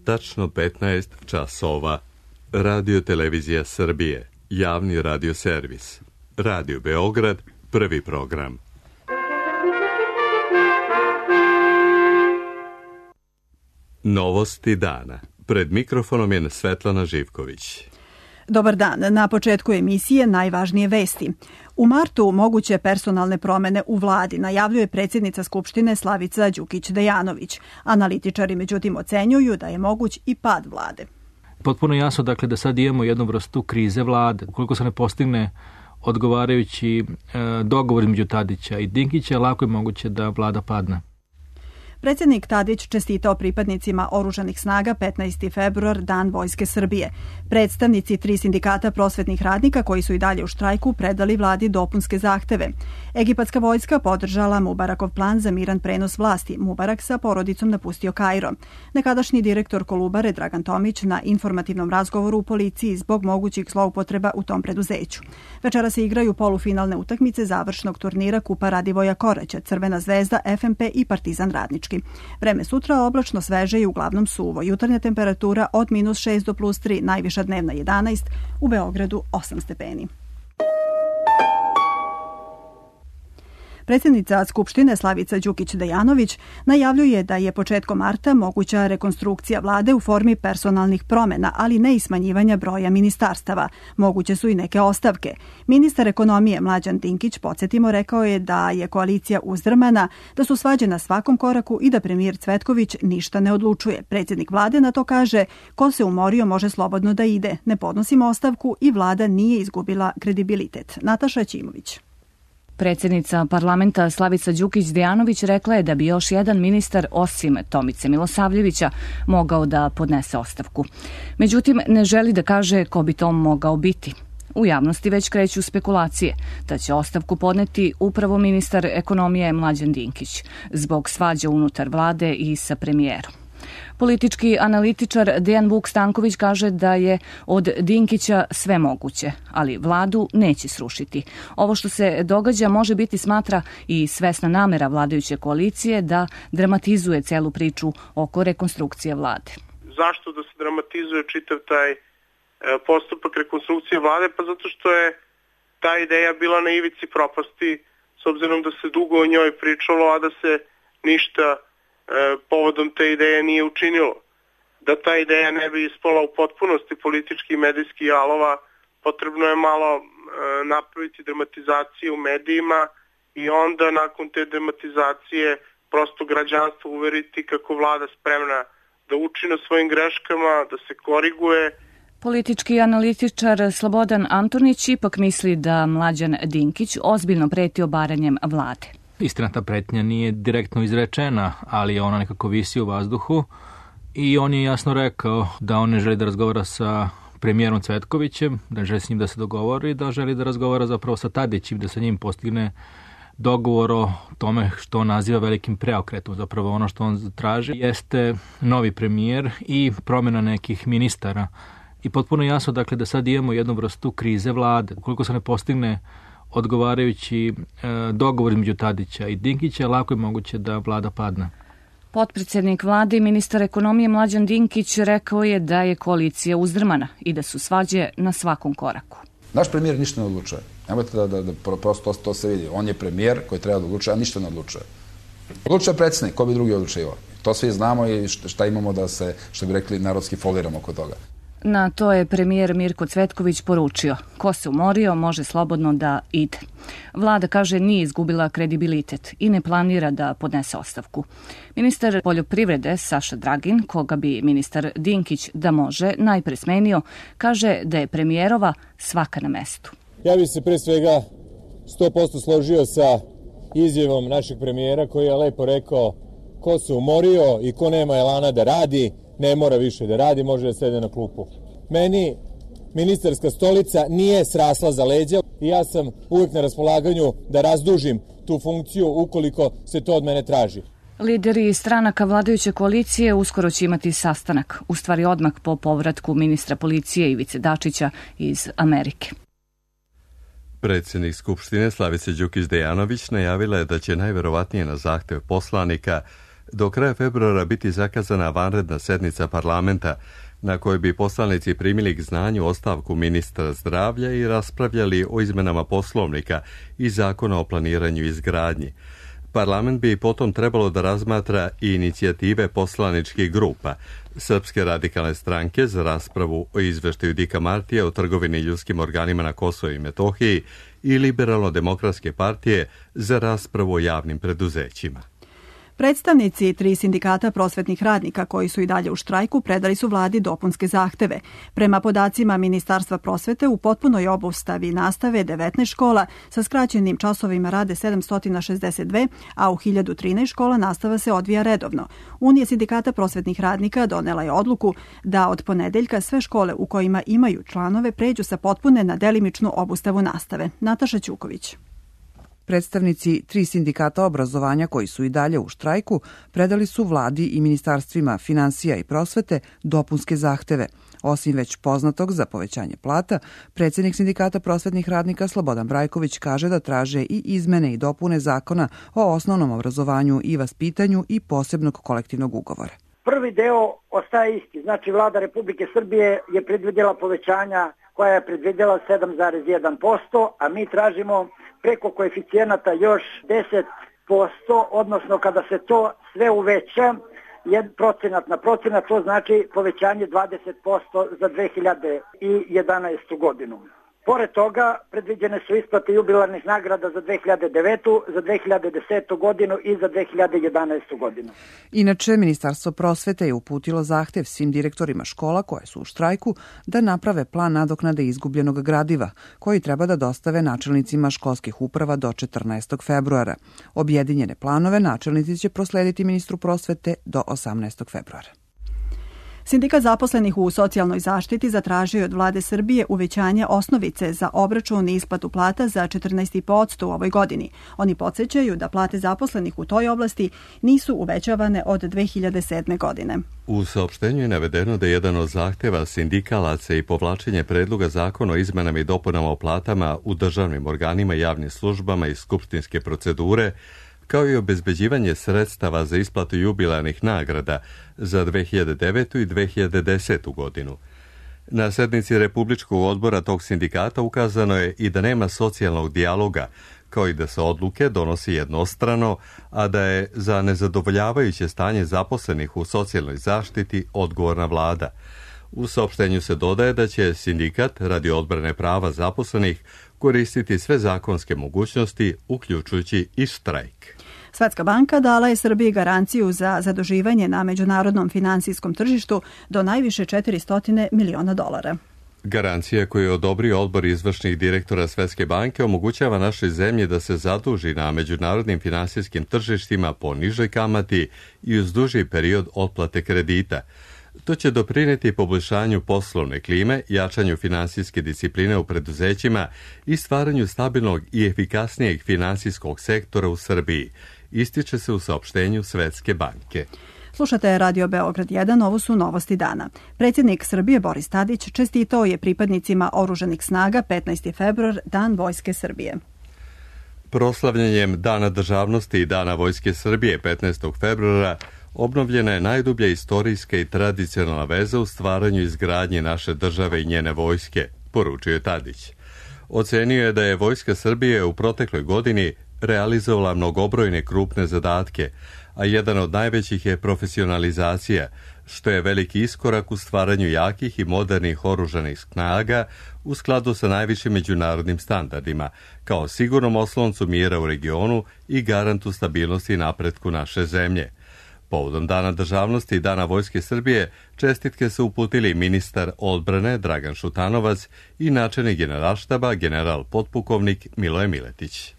tačno 15 časova. Radio Televizija Srbije, javni radio servis. Radio Beograd, prvi program. Novosti dana. Pred mikrofonom je Svetlana Živković. Dobar dan. Na početku emisije najvažnije vesti. U martu moguće personalne promene u vladi najavljuje predsjednica Skupštine Slavica Đukić-Dejanović. Analitičari međutim ocenjuju da je moguć i pad vlade. Potpuno jasno dakle da sad imamo jednu vrstu krize vlade. Ukoliko se ne postigne odgovarajući dogovor između Tadića i Dinkića, lako je moguće da vlada padne. Predsjednik Tadić čestitao pripadnicima oružanih snaga 15. februar, Dan Vojske Srbije. Predstavnici 3 sindikata prosvetnih radnika koji su i dalje u štrajku predali vladi dopunske zahteve. Egipatska vojska podržala Mubarakov plan za miran prenos vlasti. Mubarak sa porodicom napustio Kairo. Nekadašnji direktor Kolubare Dragan Tomić na informativnom razgovoru u policiji zbog mogućih zloupotreba u tom preduzeću. Večera se igraju polufinalne utakmice završnog turnira Kupa Radivoja Koraća, Crvena zvezda, FNP i Partizan Radnički. Vreme sutra oblačno, sveže i uglavnom suvo. Jutarnja temperatura od -6 do +3, najviša dnevna 11, u Beogradu 8 stepeni. Predsjednica Skupštine Slavica Đukić-Dejanović najavljuje da je početkom marta moguća rekonstrukcija vlade u formi personalnih promjena, ali ne i smanjivanja broja ministarstava. Moguće su i neke ostavke. Ministar ekonomije Mlađan Dinkić, podsjetimo, rekao je da je koalicija uzdrmana, da su svađe na svakom koraku i da premijer Cvetković ništa ne odlučuje. Predsjednik vlade na to kaže: ko se umorio može slobodno da ide. Ne podnosimo ostavku i vlada nije izgubila kredibilitet. Nataša Ćimović. Predsjednica parlamenta Slavica Đukić-Dejanović rekla je da bi još jedan ministar osim Tomice Milosavljevića mogao da podnese ostavku. Međutim, ne želi da kaže ko bi to mogao biti. U javnosti već kreću spekulacije da će ostavku podneti upravo ministar ekonomije Mlađan Dinkić zbog svađa unutar vlade i sa premijerom. Politički analitičar Dejan Vuk Stanković kaže da je od Dinkića sve moguće, ali vladu neće srušiti. Ovo što se događa može biti, smatra, i svesna namera vladajuće koalicije da dramatizuje celu priču oko rekonstrukcije vlade. Zašto da se dramatizuje čitav taj postupak rekonstrukcije vlade? Pa zato što je ta ideja bila na ivici propasti, s obzirom da se dugo o njoj pričalo, a da se ništa povodom te ideje nije učinilo. Da ta ideja ne bi ispala u potpunosti politički i medijski jalova, potrebno je malo napraviti dramatizaciju u medijima i onda nakon te dramatizacije prosto građanstvo uveriti kako vlada spremna da uči na svojim greškama, da se koriguje. Politički analitičar Slobodan Antonić ipak misli da Mlađan Dinkić ozbiljno preti obaranjem vlade. Istina, ta pretnja nije direktno izrečena, ali ona nekako visi u vazduhu i on je jasno rekao da on ne želi da razgovara sa premijerom Cvetkovićem, da ne želi s njim da se dogovori, da želi da razgovara zapravo sa Tadićem, da sa njim postigne dogovor o tome što on naziva velikim preokretom. Zapravo ono što on traži jeste novi premijer i promjena nekih ministara. I potpuno jasno dakle da sad imamo jednu vrstu krize vlade. Ukoliko se ne postigne odgovarajući dogovor između Tadića i Dinkića, lako je moguće da vlada padne. Potpredsjednik vlade i ministar ekonomije Mlađan Dinkić rekao je da je koalicija uzdrmana i da su svađe na svakom koraku. Naš premijer ništa ne odlučuje. Nemojte da prosto to se vidi. On je premijer koji treba da odlučuje, a ništa ne odlučuje. Odlučuje predsjednik, ko bi drugi odlučivao. To svi znamo i šta imamo da se, što bi rekli, narodski foliramo oko toga. Na to je premijer Mirko Cvetković poručio: ko se umorio može slobodno da ide. Vlada, kaže, nije izgubila kredibilitet i ne planira da podnese ostavku. Ministar poljoprivrede Saša Dragin, koga bi ministar Dinkić da može najpre smenio, kaže da je premijerova svaka na mestu. Ja bih se pre svega 100% složio sa izjavom našeg premijera koji je lepo rekao: ko se umorio i ko nema elana da radi, ne mora više da radi, može da sede na klupu. Meni ministarska stolica nije srasla za leđa i ja sam uvijek na raspolaganju da razdužim tu funkciju ukoliko se to od mene traži. Lideri stranaka vladajuće koalicije uskoro će imati sastanak, u stvari odmah po povratku ministra policije Ivice Dačića iz Amerike. Predsjednik Skupštine Slavica Đukić-Dejanović najavila je da će najverovatnije na zahtev poslanika do kraja februara biti zakazana vanredna sednica parlamenta na kojoj bi poslanici primili k znanju ostavku ministra zdravlja i raspravljali o izmenama poslovnika i zakona o planiranju i izgradnji. Parlament bi potom trebalo da razmatra i inicijative poslaničkih grupa Srpske radikalne stranke za raspravu o izveštaju Dika Martija o trgovini ljudskim organima na Kosovu i Metohiji i Liberalno-demokratske partije za raspravu o javnim preduzećima. Predstavnici 3 sindikata prosvetnih radnika koji su i dalje u štrajku predali su vladi dopunske zahteve. Prema podacima Ministarstva prosvete, u potpunoj obustavi nastave 19 škola sa skraćenim časovima rade 762, a u 1013 škola nastava se odvija redovno. Unija sindikata prosvetnih radnika donela je odluku da od ponedeljka sve škole u kojima imaju članove pređu sa potpune na delimičnu obustavu nastave. Nataša Ćuković. Predstavnici 3 sindikata obrazovanja koji su i dalje u štrajku predali su vladi i ministarstvima finansija i prosvete dopunske zahteve. Osim već poznatog za povećanje plata, predsjednik sindikata prosvetnih radnika Slobodan Brajković kaže da traže i izmene i dopune zakona o osnovnom obrazovanju i vaspitanju i posebnog kolektivnog ugovora. Prvi deo ostaje isti, znači vlada Republike Srbije je predvidjela povećanja koja je predvidjela 7,1%, a mi tražimo preko koeficijenata još 10%, odnosno kada se to sve uveća, procenat na procenat, to znači povećanje 20% za 2011. godinu. Pored toga, predviđene su isplate jubilarnih nagrada za 2009., za 2010. godinu i za 2011. godinu. Inače, Ministarstvo prosvete je uputilo zahtev svim direktorima škola koje su u štrajku da naprave plan nadoknade izgubljenog gradiva, koji treba da dostave načelnicima školskih uprava do 14. februara. Objedinjene planove načelnici će proslediti ministru prosvete do 18. februara. Sindikat zaposlenih u socijalnoj zaštiti zatražio od vlade Srbije uvećanje osnovice za obračun i isplatu plata za 14,5% u ovoj godini. Oni podsjećaju da plate zaposlenih u toj oblasti nisu uvećavane od 2007. godine. U saopštenju je navedeno da je jedan od zahteva sindikalaca i povlačenje predloga zakona o izmenama i dopunama o platama u državnim organima, javnim službama i skupštinske procedure, kao i obezbeđivanje sredstava za isplatu jubilarnih nagrada za 2009. i 2010. godinu. Na sednici Republičkog odbora tog sindikata ukazano je i da nema socijalnog dijaloga, kao i da se odluke donosi jednostrano, a da je za nezadovoljavajuće stanje zaposlenih u socijalnoj zaštiti odgovorna vlada. U saopštenju se dodaje da će sindikat radi odbrane prava zaposlenih koristiti sve zakonske mogućnosti, uključujući i štrajk. Svetska banka dala je Srbiji garanciju za zaduživanje na međunarodnom finansijskom tržištu do najviše $400 miliona. Garancija koju je odobrio odbor izvršnih direktora Svetske banke omogućava našoj zemlji da se zaduži na međunarodnim finansijskim tržištima po nižoj kamati i uz duži period otplate kredita. To će doprineti poboljšanju poslovne klime, jačanju finansijske discipline u preduzećima i stvaranju stabilnog i efikasnijeg finansijskog sektora u Srbiji, ističe se u saopštenju Svetske banke. Slušate Radio Beograd 1, ovo su novosti dana. Predsjednik Srbije Boris Tadić čestitao je pripadnicima oružanih snaga 15. februar, Dan Vojske Srbije. Proslavljanjem Dana državnosti i Dana Vojske Srbije 15. februara obnovljena je najdublja istorijska i tradicionalna veza u stvaranju i izgradnji naše države i njene vojske, poručio je Tadić. Ocenio je da je Vojska Srbije u protekloj godini realizovala mnogobrojne krupne zadatke, a jedan od najvećih je profesionalizacija, što je veliki iskorak u stvaranju jakih i modernih oružanih snaga u skladu sa najvišim međunarodnim standardima, kao sigurnom osloncu mira u regionu i garantu stabilnosti i napretku naše zemlje. Povodom Dana državnosti i Dana Vojske Srbije čestitke su uputili ministar odbrane Dragan Šutanovac i načelnik Generalštaba general potpukovnik Miloje Miletić.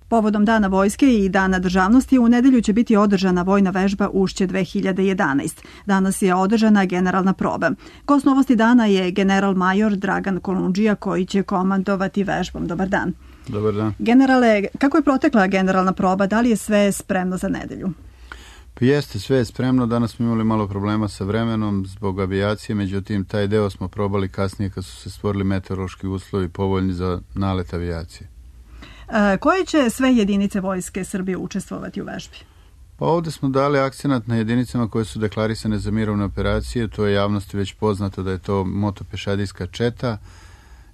Povodom Dana vojske i Dana državnosti u nedelju će biti održana vojna vežba Ušće 2011. Danas je održana generalna proba. Gost novosti dana je general major Dragan Kolundžija koji će komandovati vežbom. Dobar dan. Dobar dan. Generale, kako je protekla generalna proba? Da li je sve spremno za nedelju? Pa jeste, sve je spremno. Danas smo imali malo problema sa vremenom zbog avijacije, međutim taj deo smo probali kasnije kad su se stvorili meteorološki uslovi povoljni za nalet avijacije. Koje će sve jedinice Vojske Srbije učestvovati u vežbi? Pa ovde smo dali akcenat na jedinicama koje su deklarisane za mirovne operacije, to je javnosti već poznato da je to motopešadijska četa,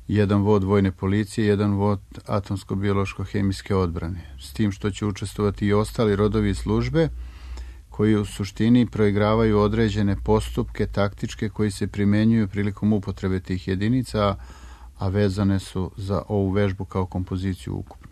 jedan vod vojne policije, jedan vod atomsko-biološko-hemijske odbrane. S tim što će učestvovati i ostali rodovi i službe koji u suštini proigravaju određene postupke taktičke koji se primenjuju prilikom upotrebe tih jedinica, a vezane su za ovu vežbu kao kompoziciju ukupno.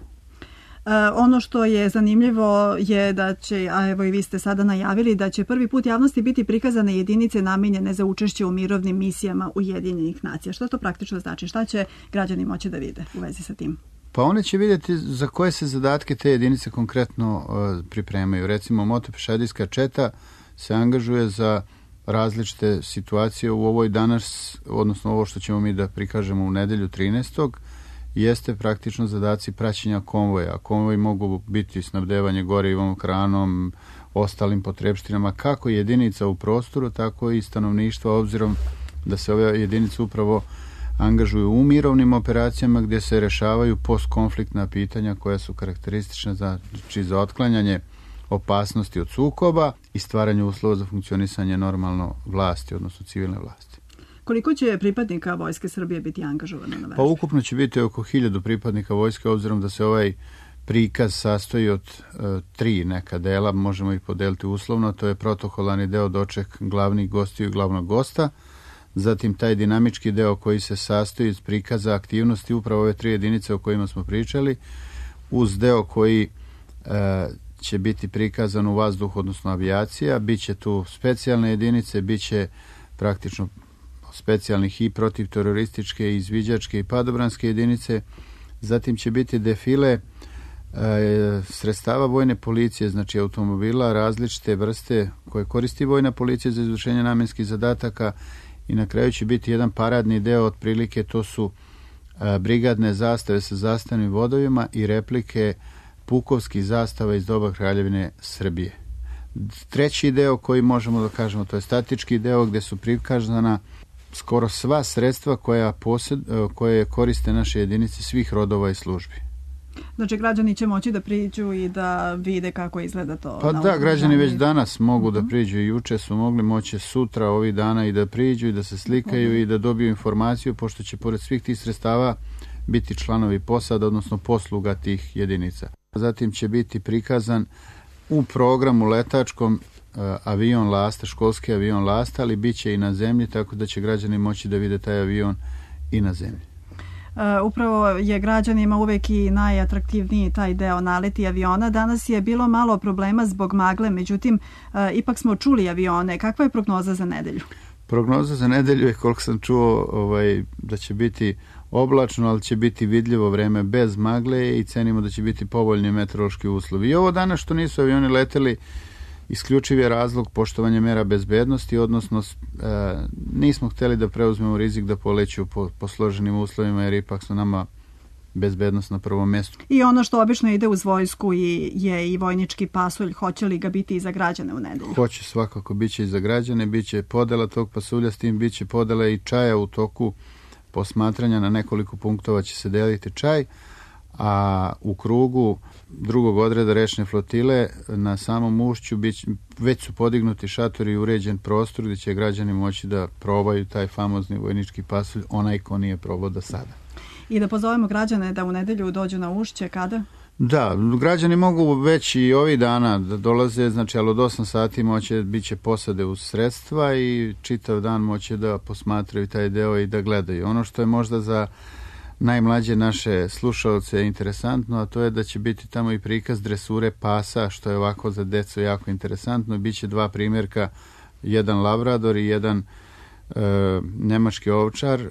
Ono što je zanimljivo je da će, a evo i vi ste sada najavili, da će prvi put javnosti biti prikazane jedinice namenjene za učešće u mirovnim misijama Ujedinjenih nacija. Što to praktično znači? Šta će građani moći da vide u vezi sa tim? Pa one će vidjeti za koje se zadatke te jedinice konkretno pripremaju. Recimo, motopešadijska četa se angažuje za različite situacije u ovoj danas, odnosno ovo što ćemo mi da prikažemo u nedelju 13. jeste praktično zadaci praćenja konvoja. Konvoji mogu biti snabdevanje gorivom, hranom, ostalim potrebštinama, kako jedinica u prostoru, tako i stanovništva, obzirom da se ove jedinice upravo angažuju u mirovnim operacijama gdje se rešavaju postkonfliktna pitanja koja su karakteristična za otklanjanje opasnosti od sukoba i stvaranje uslova za funkcionisanje normalno vlasti, odnosno civilne vlasti. Koliko će pripadnika Vojske Srbije biti angažovano na vežbi? Pa ukupno će biti oko 1000 pripadnika vojske, obzirom da se ovaj prikaz sastoji od 3 neka dela, možemo ih podeliti uslovno, to je protokolarni deo, doček glavnih gostiju i glavnog gosta, zatim taj dinamički deo koji se sastoji iz prikaza aktivnosti upravo ove 3 jedinice o kojima smo pričali, uz deo koji će biti prikazan u vazduhu, odnosno avijacija, bit će tu specijalne jedinice, bit će praktično specijalnih i protivterorističke, izviđačke i padobranske jedinice, zatim će biti defile sredstava vojne policije, znači automobila različite vrste koje koristi vojna policija za izvršenje namenskih zadataka i na kraju će biti jedan paradni deo, otprilike to su brigadne zastave sa zastavnim vodovima i replike pukovskih zastava iz doba Kraljevine Srbije. Treći deo koji možemo da kažemo, to je statički deo gdje su prikazana skoro sva sredstva koje koriste naše jedinice svih rodova i službi. Znači, građani će moći da priđu i da vide kako izgleda to? Pa da, građani već danas mogu da priđu i juče su mogli, moće sutra, ovih dana i da priđu i da se slikaju i da dobiju informaciju, pošto će pored svih tih sredstava biti članovi posada, odnosno posluga tih jedinica. Zatim će biti prikazan u programu letačkom avion Lasta, školski avion Lasta, ali bit će i na zemlji, tako da će građani moći da vide taj avion i na zemlji. Upravo je građanima uvek i najatraktivniji taj deo naleti aviona. Danas je bilo malo problema zbog magle, međutim, ipak smo čuli avione. Kakva je prognoza za nedelju? Prognoza za nedelju je, koliko sam čuo, da će biti oblačno, ali će biti vidljivo vreme bez magle i cenimo da će biti povoljni meteorološki uslovi. I ovo danas što nisu avioni leteli, isključiv je razlog poštovanja mera bezbednosti, odnosno nismo htjeli da preuzmemo rizik da poleću po složenim uslovima, jer ipak su nama bezbednost na prvom mjestu. I ono što obično ide uz vojsku je i vojnički pasulj. Hoće li ga biti i za građane u nedelju? Hoće, svakako, bit će i za građane, bit će podela tog pasulja, s tim bit će podela i čaja u toku posmatranja. Na nekoliko punktova će se deliti čaj, a u krugu drugog odreda rečne flotile na samom ušću već su podignuti šatori i uređen prostor gdje će građani moći da probaju taj famozni vojnički pasulj, onaj ko nije probao do sada. I da pozovemo građane da u nedelju dođu na ušće, kada? Da, građani mogu već i ovih dana da dolaze, znači, ali od 8 sati bit će posade uz sredstva i čitav dan moće da posmatraju taj deo i da gledaju. Ono što je možda za najmlađe naše slušalce interesantno, a to je da će biti tamo i prikaz dresure pasa, što je ovako za decu jako interesantno. Biće 2 primjerka, jedan labrador i jedan nemački ovčar,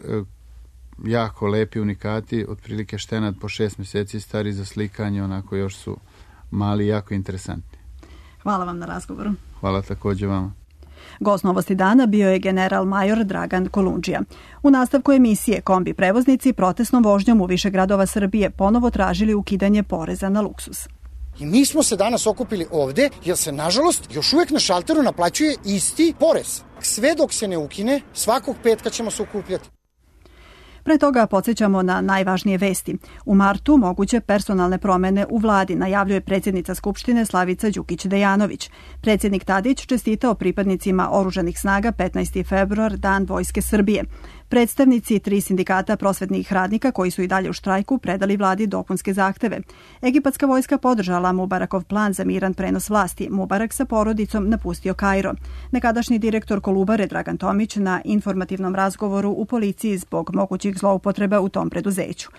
jako lepi unikati, otprilike štenad po 6 mjeseci stari za slikanje, onako još su mali i jako interesantni. Hvala vam na razgovoru. Hvala također vama. Gost Novosti dana bio je general major Dragan Kolundžija. U nastavku emisije kombi prevoznici protestnom vožnjom u više gradova Srbije ponovo tražili ukidanje poreza na luksuz. I mi smo se danas okupili ovde jer se, nažalost, još uvijek na šalteru naplaćuje isti porez. Sve dok se ne ukine, svakog petka ćemo se okupljati. Pre toga podsjećamo na najvažnije vesti. U martu moguće personalne promene u vladi, najavljuje predsjednica Skupštine Slavica Đukić-Dejanović. Predsjednik Tadić čestitao pripadnicima oružanih snaga 15. februar, Dan Vojske Srbije. Predstavnici 3 sindikata prosvetnih radnika koji su i dalje u štrajku predali vladi dopunske zahteve. Egipatska vojska podržala Mubarakov plan za miran prenos vlasti. Mubarak sa porodicom napustio Kairo. Nekadašnji direktor Kolubare Dragan Tomić na informativnom razgovoru u policiji zbog mogućih zloupotreba u tom preduzeću.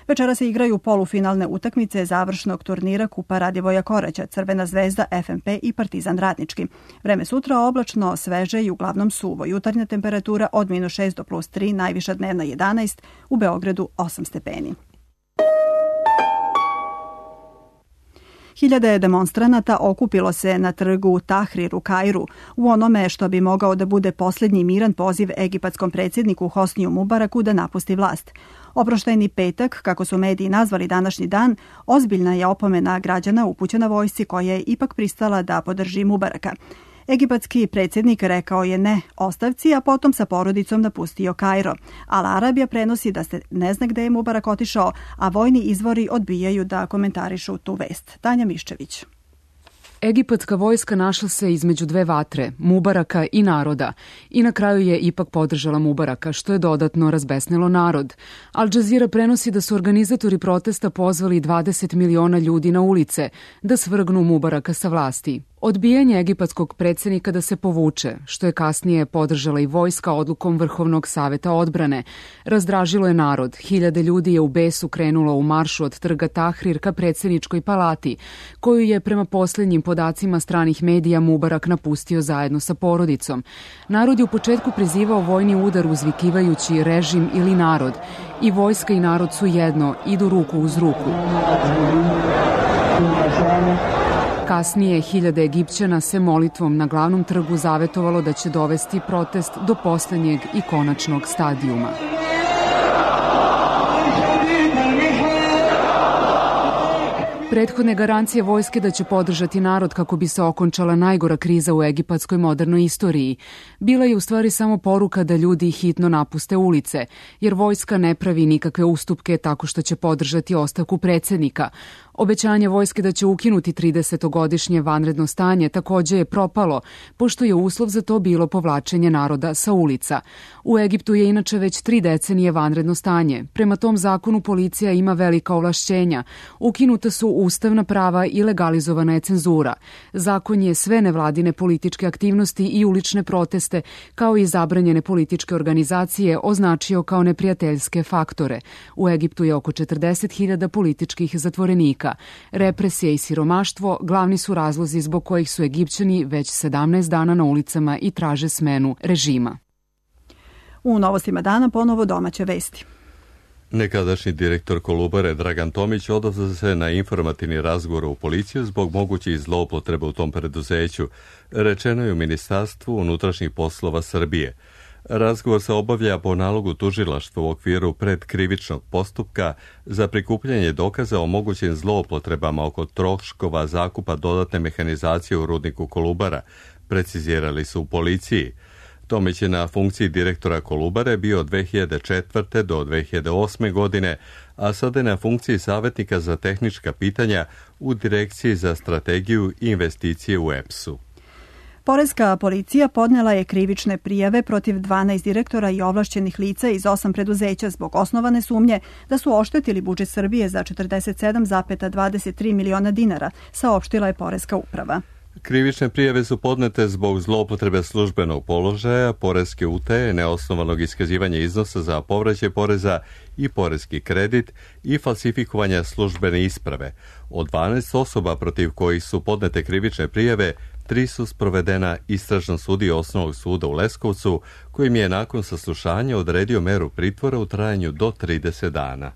Večera se igraju polufinalne utakmice završnog turnira Kupa Radivoja Koraća, Crvena zvezda, FNP i Partizan Radnički. Vreme sutra oblačno, sveže i uglavnom suvo. Jutarnja temperatura od -6 do +3, najviša dnevna 11, u Beogradu 8 stepeni. Hiljade demonstranata okupilo se na trgu Tahrir u Kairu u onome što bi mogao da bude posljednji miran poziv egipatskom predsjedniku Hosniju Mubaraku da napusti vlast. Oproštajni petak, kako su mediji nazvali današnji dan, ozbiljna je opomena građana upućena vojsci koja je ipak pristala da podrži Mubaraka. Egipatski predsjednik rekao je ne ostavci, a potom sa porodicom napustio Kairo. Al Arabija prenosi da se ne zna gde je Mubarak otišao, a vojni izvori odbijaju da komentarišu tu vest. Tanja Miščević. Egipatska vojska našla se između dve vatre, Mubaraka i naroda, i na kraju je ipak podržala Mubaraka, što je dodatno razbesnilo narod. Al Jazeera prenosi da su organizatori protesta pozvali 20 miliona ljudi na ulice da svrgnu Mubaraka sa vlasti. Odbijanje egipatskog predsjednika da se povuče, što je kasnije podržala i vojska odlukom Vrhovnog saveta odbrane, razdražilo je narod. Hiljade ljudi je u besu krenulo u maršu od trga Tahrir ka predsjedničkoj palati, koju je prema posljednjim podacima stranih medija Mubarak napustio zajedno sa porodicom. Narod je u početku prizivao vojni udar uzvikivajući režim ili narod. I vojska i narod su jedno, idu ruku uz ruku. Kasnije, hiljade Egipćana se molitvom na glavnom trgu zavetovalo da će dovesti protest do posljednjeg i konačnog stadijuma. Prethodne garancije vojske da će podržati narod kako bi se okončala najgora kriza u egipatskoj modernoj istoriji bila je u stvari samo poruka da ljudi hitno napuste ulice, jer vojska ne pravi nikakve ustupke tako što će podržati ostavku predsjednika. Obećanje vojske da će ukinuti 30-godišnje vanredno stanje također je propalo, pošto je uslov za to bilo povlačenje naroda sa ulica. U Egiptu je inače već 3 decenije vanredno stanje. Prema tom zakonu policija ima velika ovlašćenja. Ukinuta su ustavna prava i legalizovana je cenzura. Zakon je sve nevladine političke aktivnosti i ulične proteste, kao i zabranjene političke organizacije, označio kao neprijateljske faktore. U Egiptu je oko 40.000 političkih zatvorenika. Represija i siromaštvo glavni su razlozi zbog kojih su Egipćani već 17 dana na ulicama i traže smenu režima. U novostima dana ponovo domaće vesti. Nekadašnji direktor Kolubare Dragan Tomić odazvao se na informativni razgovor u policiju zbog mogućih zloupotreba u tom preduzeću, rečeno je u Ministarstvu unutrašnjih poslova Srbije. Razgovor se obavlja po nalogu tužilaštva u okviru predkrivičnog postupka za prikupljanje dokaza o mogućim zloupotrebama oko troškova zakupa dodatne mehanizacije u rudniku Kolubara, precizirali su u policiji. Tomić je na funkciji direktora Kolubare bio od 2004. do 2008. godine, a sada je na funkciji savjetnika za tehnička pitanja u Direkciji za strategiju i investicije u EPS-u. Poreska policija podnela je krivične prijave protiv 12 direktora i ovlašćenih lica iz 8 preduzeća zbog osnovane sumnje da su oštetili budžet Srbije za 47,23 miliona dinara, saopštila je Poreska uprava. Krivične prijave su podnete zbog zloupotrebe službenog položaja, poreske utaje, neosnovanog iskazivanja iznosa za povraćaj poreza i poreski kredit i falsifikovanja službene isprave. Od 12 osoba protiv kojih su podnete krivične prijave, 3 su sprovedena istražnom sudiji Osnovnog suda u Leskovcu, kojim je nakon saslušanja odredio meru pritvora u trajanju do 30 dana.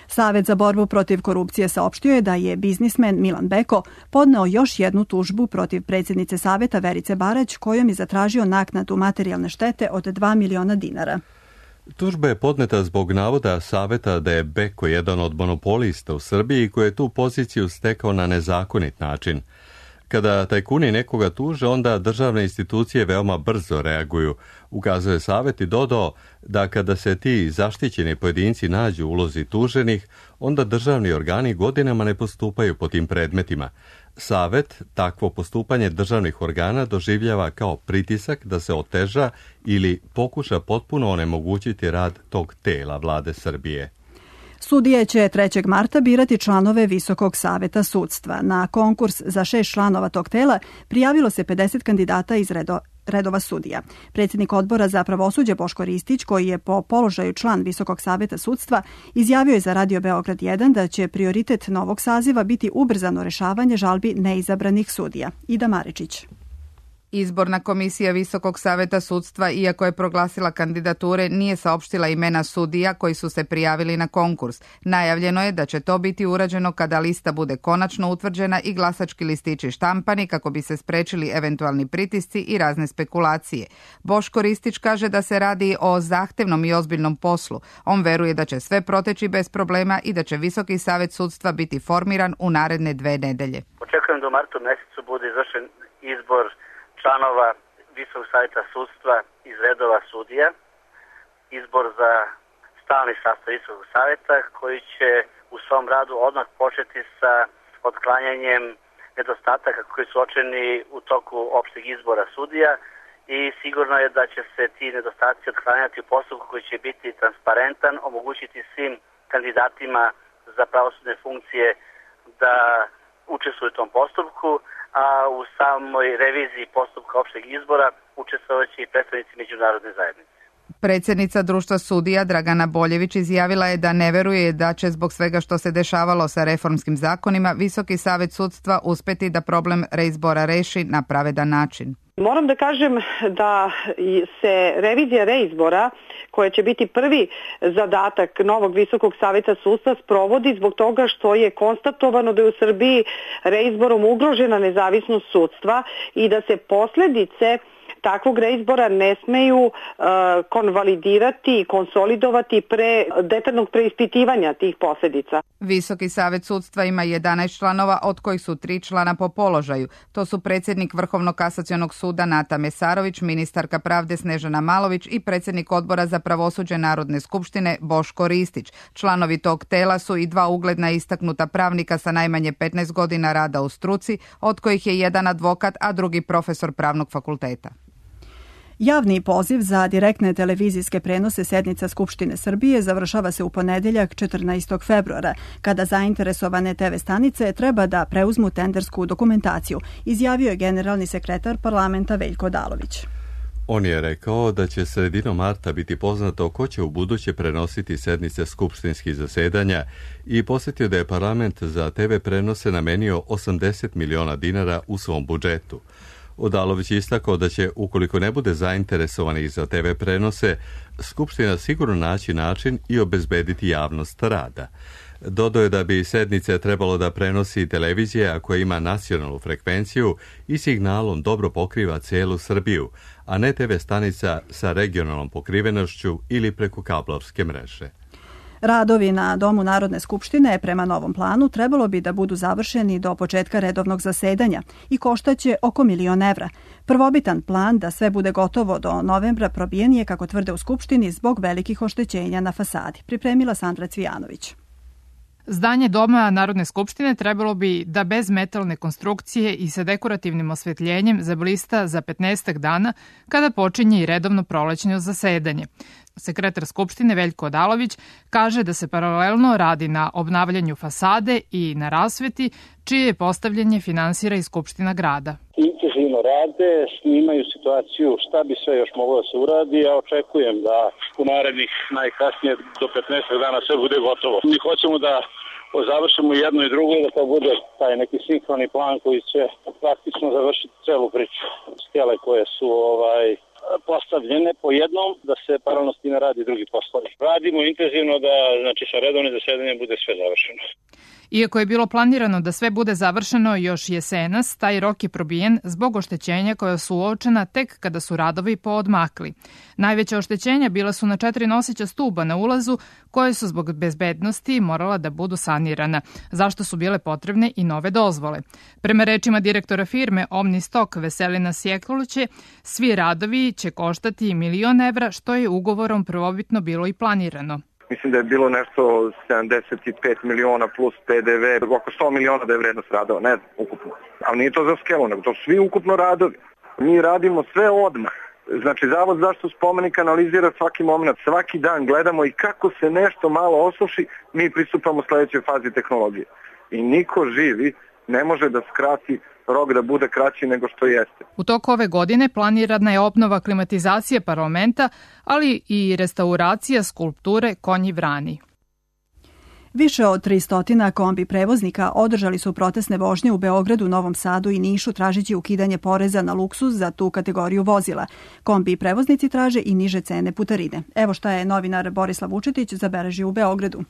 Savet za borbu protiv korupcije saopštio je da je biznismen Milan Beko podneo još jednu tužbu protiv predsjednice Saveta Verice Barać, kojom je zatražio naknadu materijalne štete od 2 miliona dinara. Tužba je podneta zbog navoda Saveta da je Beko jedan od monopolista u Srbiji koji je tu poziciju stekao na nezakonit način. Kada tajkuni nekoga tuže, onda državne institucije veoma brzo reaguju, ukazuje Savet i dodao da kada se ti zaštićeni pojedinci nađu u ulozi tuženih, onda državni organi godinama ne postupaju po tim predmetima. Savet takvo postupanje državnih organa doživljava kao pritisak da se oteža ili pokuša potpuno onemogućiti rad tog tela vlade Srbije. Sudije će 3. marta birati članove Visokog saveta sudstva. Na konkurs za 6 članova tog tela prijavilo se 50 kandidata iz redova sudija. Predsjednik odbora za pravosuđe Boško Ristić, koji je po položaju član Visokog saveta sudstva, izjavio je za Radio Beograd 1 da će prioritet novog saziva biti ubrzano rešavanje žalbi neizabranih sudija. Ida Maričić. Izborna komisija Visokog saveta sudstva, iako je proglasila kandidature, nije saopštila imena sudija koji su se prijavili na konkurs. Najavljeno je da će to biti urađeno kada lista bude konačno utvrđena i glasački listići štampani kako bi se sprečili eventualni pritisci i razne spekulacije. Boško Ristić kaže da se radi o zahtevnom i ozbiljnom poslu. On veruje da će sve proteći bez problema i da će Visoki savet sudstva biti formiran u naredne 2 nedelje. Očekujem da u martu mesecu bude izvršen izbor članova Visokog saveta sudstva iz redova sudija, izbor za stalni sastav Visokog saveta koji će u svom radu odmah početi sa otklanjanjem nedostataka koji su uočeni u toku opšteg izbora sudija i sigurno je da će se ti nedostaci otklanjati u postupku koji će biti transparentan, omogućiti svim kandidatima za pravosudne funkcije da učestvuju u tom postupku, a u samoj reviziji postupka opšteg izbora učestvovaće i predstavnici međunarodne zajednice. Predsjednica društva sudija Dragana Boljević izjavila je da ne veruje da će zbog svega što se dešavalo sa reformskim zakonima Visoki savet sudstva uspeti da problem reizbora reši na pravedan način. Moram da kažem da se revizija reizbora, koja će biti prvi zadatak novog Visokog saveta sudstva, sprovodi zbog toga što je konstatovano da je u Srbiji reizborom ugrožena nezavisnost sudstva i da se posljedice takvog reizbora ne smeju konvalidirati i konsolidovati pre detaljnog preispitivanja tih posljedica. Visoki savet sudstva ima 11 članova, od kojih su 3 člana po položaju. To su predsjednik Vrhovnog kasacionog suda Nata Mesarović, ministarka pravde Snežana Malović i predsjednik odbora za pravosuđe Narodne skupštine Boško Ristić. Članovi tog tela su i 2 ugledna istaknuta pravnika sa najmanje 15 godina rada u struci, od kojih je jedan advokat, a drugi profesor pravnog fakulteta. Javni poziv za direktne televizijske prenose sednica Skupštine Srbije završava se u ponedeljak 14. februara, kada zainteresovane TV stanice treba da preuzmu tendersku dokumentaciju, izjavio je generalni sekretar parlamenta Veljko Odalović. On je rekao da će sredinom marta biti poznato ko će u buduće prenositi sednice skupštinskih zasedanja i posjetio da je parlament za TV prenose namenio 80 miliona dinara u svom budžetu. Odalović je istakao da će, ukoliko ne bude zainteresovanih za TV prenose, Skupština sigurno naći način i obezbediti javnost rada. Dodao je da bi sednice trebalo da prenosi televizija koja ima nacionalnu frekvenciju i signalom dobro pokriva celu Srbiju, a ne TV stanica sa regionalnom pokrivenošću ili preko kablovske mreže. Radovi na Domu Narodne skupštine prema novom planu trebalo bi da budu završeni do početka redovnog zasedanja i koštaće oko 1 milion evra. Prvobitan plan da sve bude gotovo do novembra probijen je, kako tvrde u Skupštini, zbog velikih oštećenja na fasadi. Pripremila Sandra Cvijanović. Zdanje Doma Narodne skupštine trebalo bi da bez metalne konstrukcije i sa dekorativnim osvetljenjem zablista za 15 dana kada počinje i redovno prolećno zasedanje. Sekretar Skupštine Veljko Odalović kaže da se paralelno radi na obnavljanju fasade i na rasveti, čije je postavljanje finansira i Skupština grada. Intenzivno rade, snimaju situaciju šta bi sve još moglo da se uradi. Ja očekujem da u narednih najkasnije do 15 dana sve bude gotovo. Mi hoćemo da završimo jedno i drugo, da to bude taj neki sinhroni plan koji će praktično završiti celu priču. Stijele koje su postavljene po jednom, da se paralelno s time radi drugi poslovi. Radimo intenzivno da, sa redovnim zasedanjem bude sve završeno. Iako je bilo planirano da sve bude završeno još jesenas, taj rok je probijen zbog oštećenja koja su uočena tek kada su radovi poodmakli. Najveća oštećenja bila su na 4 noseća stuba na ulazu, koje su zbog bezbednosti morala da budu sanirana, zašto su bile potrebne i nove dozvole. Prema rečima direktora firme Omnistok Veselina Sjekoliće, svi radovi će koštati $1 milion, što je ugovorom prvobitno bilo i planirano. Mislim da je bilo nešto 75 miliona plus PDV, oko 100 miliona da je vrednost radova, ne ukupno. Ali nije to za skelu, nego to su svi ukupno radovi. Mi radimo sve odmah. Znači, Zavod za zaštitu spomenika analizira svaki moment, svaki dan gledamo i kako se nešto malo osuši, mi pristupamo sledećoj fazi tehnologije. I niko živi ne može da skrati rok da bude kraći nego što jeste. U toku ove godine planirana je obnova klimatizacije parlamenta, ali i restauracija skulpture Konji Vrani. Više od 300 kombi prevoznika održali su protestne vožnje u Beogradu, Novom Sadu i Nišu tražeći ukidanje poreza na luksuz za tu kategoriju vozila. Kombi prevoznici traže i niže cene putarine. Evo šta je novinar Borislav Vučetić zabeležio u Beogradu.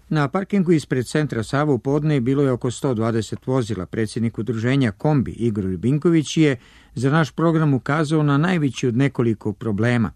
Na parkingu ispred centra Sava u podne bilo je oko 120 vozila. Predsjednik udruženja Kombi Igor Ljubinković je za naš program ukazao na najveći od nekoliko problema.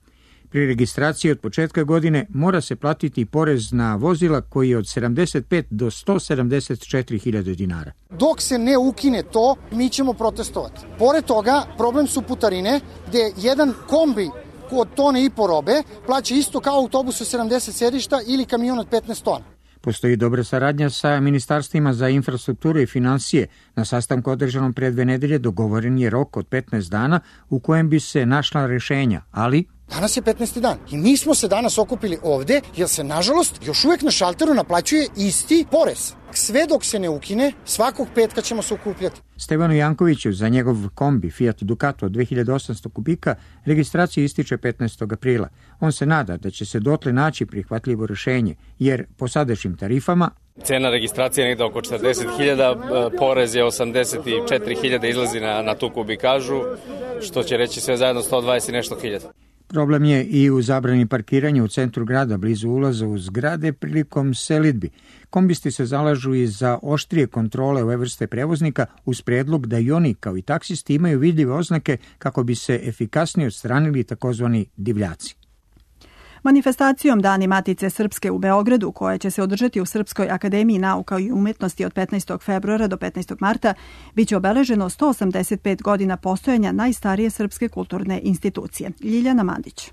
Pri registraciji od početka godine mora se platiti porez na vozila koji je od 75 do 174.000 dinara. Dok se ne ukine to, mi ćemo protestovati. Pored toga, problem su putarine, gde jedan kombi od tone i po robe plaća isto kao autobus od 70 sedišta ili kamion od 15 tona. Postoji dobra saradnja sa ministarstvima za infrastrukturu i financije. Na sastanku održanom pre 2 nedelje dogovoren je rok od 15 dana u kojem bi se našla rešenja, ali... Danas je 15. dan i mi smo se danas okupili ovde jer se, nažalost, još uvek na šalteru naplaćuje isti porez. Sve dok se ne ukine, svakog petka ćemo se okupljati. Stevanu Jankoviću za njegov kombi Fiat Ducato od 2800 kubika registracija ističe 15. aprila. On se nada da će se dotle naći prihvatljivo rešenje, jer po sadašnjim tarifama cena registracije je negde oko 40.000, porez je 84.000 izlazi na tu kubikažu, što će reći sve zajedno 120 i nešto hiljada. Problem je i u zabrani parkiranja u centru grada blizu ulaza u zgrade prilikom selidbi. Kombisti se zalažu i za oštrije kontrole ove vrste prevoznika uz predlog da i oni kao i taksisti imaju vidljive oznake kako bi se efikasnije odstranili takozvani divljaci. Manifestacijom Dani Matice Srpske u Beogradu, koja će se održati u Srpskoj akademiji nauka i umetnosti od 15. februara do 15. marta, biće obeleženo 185 godina postojanja najstarije srpske kulturne institucije. Ljiljana Mandić.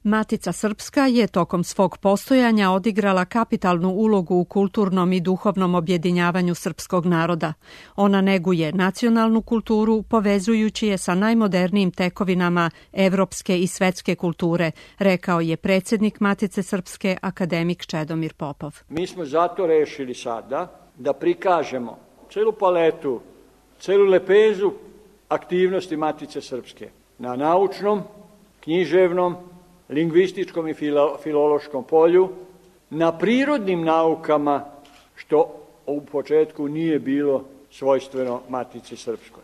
Matica Srpska je tokom svog postojanja odigrala kapitalnu ulogu u kulturnom i duhovnom objedinjavanju srpskog naroda. Ona neguje nacionalnu kulturu, povezujući je sa najmodernijim tekovinama evropske i svetske kulture, rekao je predsjednik Matice Srpske, akademik Čedomir Popov. Mi smo zato rešili sada da prikažemo celu paletu, celu lepezu aktivnosti Matice Srpske na naučnom, književnom, lingvističkom i filološkom polju, na prirodnim naukama, što u početku nije bilo svojstveno Matici Srpskoj.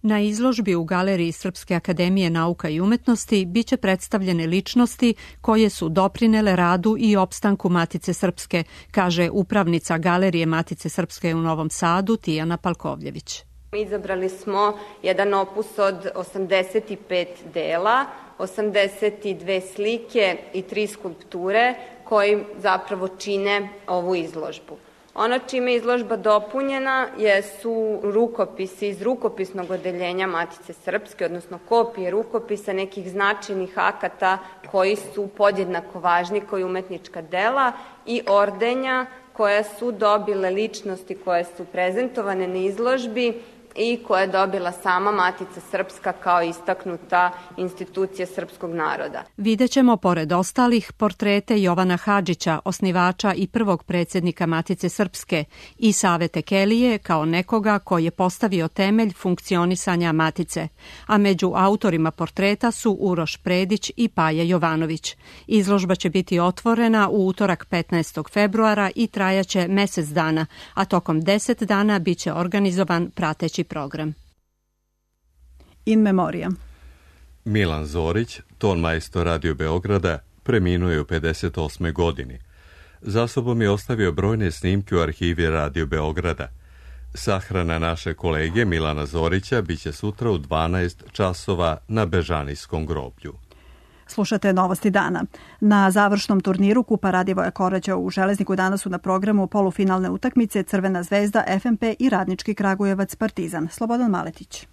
Na izložbi u Galeriji Srpske akademije nauka i umetnosti biće predstavljene ličnosti koje su doprinele radu i opstanku Matice Srpske, kaže upravnica Galerije Matice Srpske u Novom Sadu Tijana Palkovljević. Izabrali smo jedan opus od 85 dela, 82 slike i 3 skulpture koji zapravo čine ovu izložbu. Ono čime je izložba dopunjena su rukopisi iz rukopisnog odeljenja Matice Srpske, odnosno kopije rukopisa nekih značajnih akata koji su podjednako važni kao i umetnička dela i ordenja koja su dobile ličnosti koje su prezentovane na izložbi i koja je dobila sama Matica Srpska kao istaknuta institucija srpskog naroda. Videćemo, pored ostalih, portrete Jovana Hadžića, osnivača i prvog predsjednika Matice Srpske, i Save Tekelije kao nekoga koji je postavio temelj funkcionisanja Matice, a među autorima portreta su Uroš Predić i Paja Jovanović. Izložba će biti otvorena u utorak 15. februara i trajaće mesec dana, a tokom 10 dana biće organizovan prateći program. In memoriam. Milan Zorić, tonmajstor Radio Beograda, preminuo je u 58. godini. Za sobom je ostavio brojne snimke u arhivi Radio Beograda. Sahrana naše kolege Milana Zorića biće sutra u 12 časova na Bežanijskom groblju. Slušate Novosti dana. Na završnom turniru Kupa Radivoja Koraća u Železniku danas su na programu polufinalne utakmice Crvena zvezda, FNP i Radnički Kragujevac Partizan. Slobodan Maletić.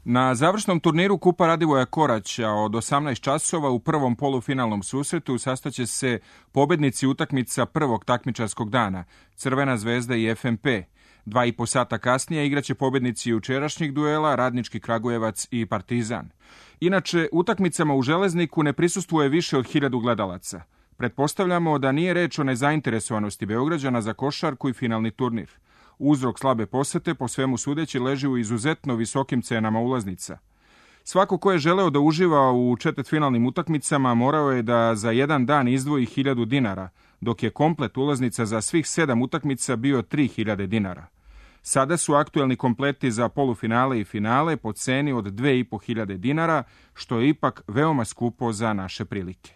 Na završnom turniru Kupa Radivoja Koraća od 18 časova u prvom polufinalnom susretu sastaće se pobednici utakmica prvog takmičarskog dana, Crvena zvezda i FNP. 2,5 sata kasnije igraće pobednici jučerašnjih duela, Radnički Kragujevac i Partizan. Inače, utakmicama u Železniku ne prisustvuje više od 1000 gledalaca. Pretpostavljamo da nije reč o nezainteresovanosti Beograđana za košarku i finalni turnir. Uzrok slabe posete po svemu sudeći leži u izuzetno visokim cenama ulaznica. Svako ko je želeo da uživa u četvrtfinalnim utakmicama morao je da za jedan dan izdvoji 1000 dinara, dok je komplet ulaznica za svih 7 utakmica bio 3000 dinara. Sada su aktuelni kompleti za polufinale i finale po ceni od 2500 dinara, što je ipak veoma skupo za naše prilike.